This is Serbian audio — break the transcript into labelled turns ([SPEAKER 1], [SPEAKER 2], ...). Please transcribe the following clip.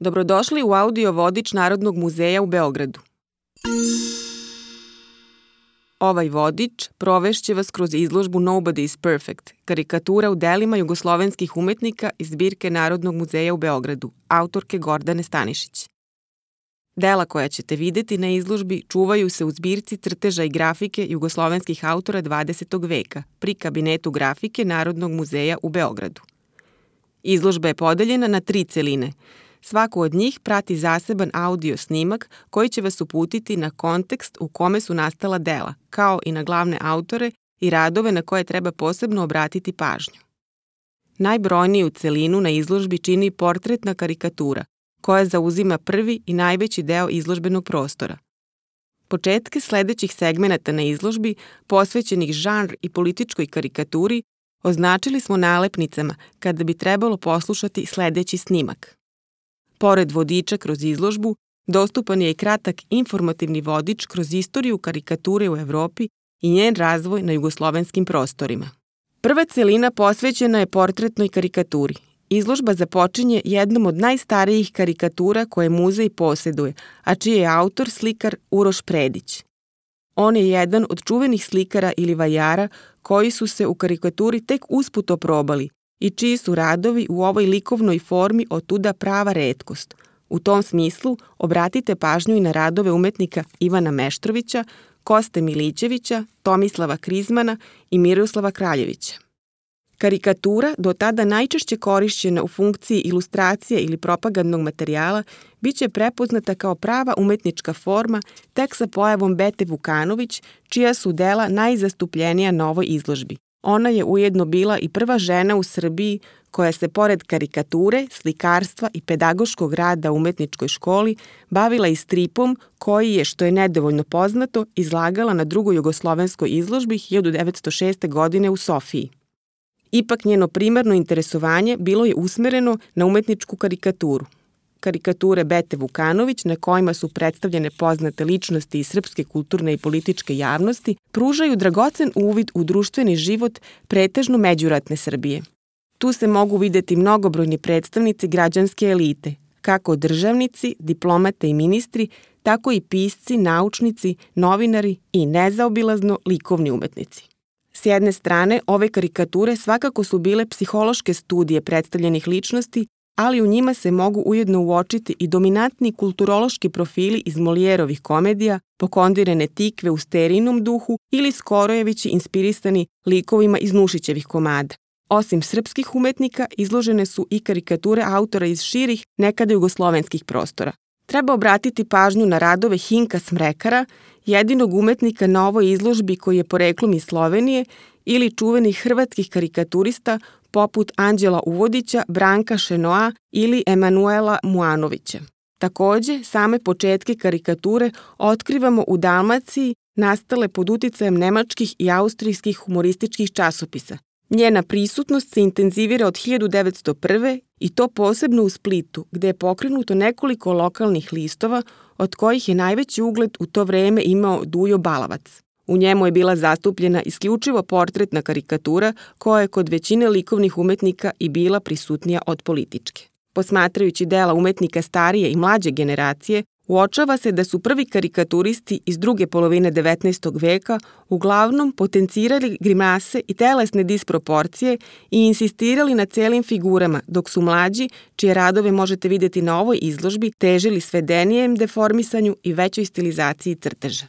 [SPEAKER 1] Dobrodošli u audio vodič Narodnog muzeja u Beogradu. Ovaj vodič provešće vas kroz izložbu Nobody is Perfect, karikatura u delima jugoslovenskih umetnika iz zbirke Narodnog muzeja u Beogradu, autorke Gordane Stanišić. Dela koja ćete videti na izložbi čuvaju se u zbirci crteža i grafike jugoslovenskih autora 20. veka pri Kabinetu grafike Narodnog muzeja u Beogradu. Izložba je podeljena na 3 celine. Svaku od njih prati zaseban audio snimak koji će vas uputiti na kontekst u kome su nastala dela, kao i na glavne autore i radove na koje treba posebno obratiti pažnju. Najbrojniju celinu na izložbi čini portretna karikatura, koja zauzima prvi i najveći deo izložbenog prostora. Početke sledećih segmenata na izložbi, posvećenih žanr i političkoj karikaturi, označili smo nalepnicama kada bi trebalo poslušati sledeći snimak. Pored vodiča kroz izložbu, dostupan je i kratak informativni vodič kroz istoriju karikature u Evropi i njen razvoj na jugoslovenskim prostorima. Prva celina posvećena je portretnoj karikaturi. Izložba započinje jednom od najstarijih karikatura koje muzej poseduje, a čiji je autor slikar Uroš Predić. On je jedan od čuvenih slikara ili vajara koji su se u karikaturi tek usput oprobali i čiji su radovi u ovoj likovnoj formi otuda prava retkost. U tom smislu obratite pažnju i na radove umetnika Ivana Meštrovića, Koste Milićevića, Tomislava Krizmana i Miroslava Kraljevića. Karikatura, do tada najčešće korišćena u funkciji ilustracije ili propagandnog materijala, biće prepoznata kao prava umetnička forma tek sa pojavom Bete Vukanović, čija su dela najzastupljenija na ovoj izložbi. Ona je ujedno bila i prva žena u Srbiji koja se pored karikature, slikarstva i pedagoškog rada u umetničkoj školi bavila i stripom koji je, što je nedovoljno poznato, izlagala na drugoj jugoslovenskoj izložbi 1906. godine u Sofiji. Ipak njeno primarno interesovanje bilo je usmereno na umetničku karikaturu. Karikature Bete Vukanović, na kojima su predstavljene poznate ličnosti iz srpske kulturne i političke javnosti, pružaju dragocen uvid u društveni život pretežno međuratne Srbije. Tu se mogu videti mnogobrojni predstavnici građanske elite, kako državnici, diplomate i ministri, tako i pisci, naučnici, novinari i nezaobilazno likovni umetnici. S jedne strane, ove karikature svakako su bile psihološke studije predstavljenih ličnosti, ali u njima se mogu ujedno uočiti i dominantni kulturološki profili iz Molijerovih komedija, pokondirane tikve u Sterinom duhu ili Skorojevići inspirisani likovima iz Nušićevih komada. Osim srpskih umetnika, izložene su i karikature autora iz širih, nekada jugoslovenskih prostora. Treba obratiti pažnju na radove Hinka Smrekara, jedinog umetnika na ovoj izložbi koji je poreklom iz Slovenije, ili čuvenih hrvatskih karikaturista poput Anđela Uvodića, Branka Šenoa ili Emanuela Muanovića. Takođe, same početke karikature otkrivamo u Dalmaciji, nastale pod uticajem nemačkih i austrijskih humorističkih časopisa. Njena prisutnost se intenzivira od 1901. i to posebno u Splitu, gde je pokrenuto nekoliko lokalnih listova, od kojih je najveći ugled u to vreme imao Dujo Balavac. U njemu je bila zastupljena isključivo portretna karikatura koja je kod većine likovnih umetnika i bila prisutnija od političke. Posmatrajući dela umetnika starije i mlađe generacije, uočava se da su prvi karikaturisti iz druge polovine 19. veka uglavnom potencirali grimase i telesne disproporcije i insistirali na celim figurama, dok su mlađi, čije radove možete videti na ovoj izložbi, težili svedenijem deformisanju i većoj stilizaciji crteža.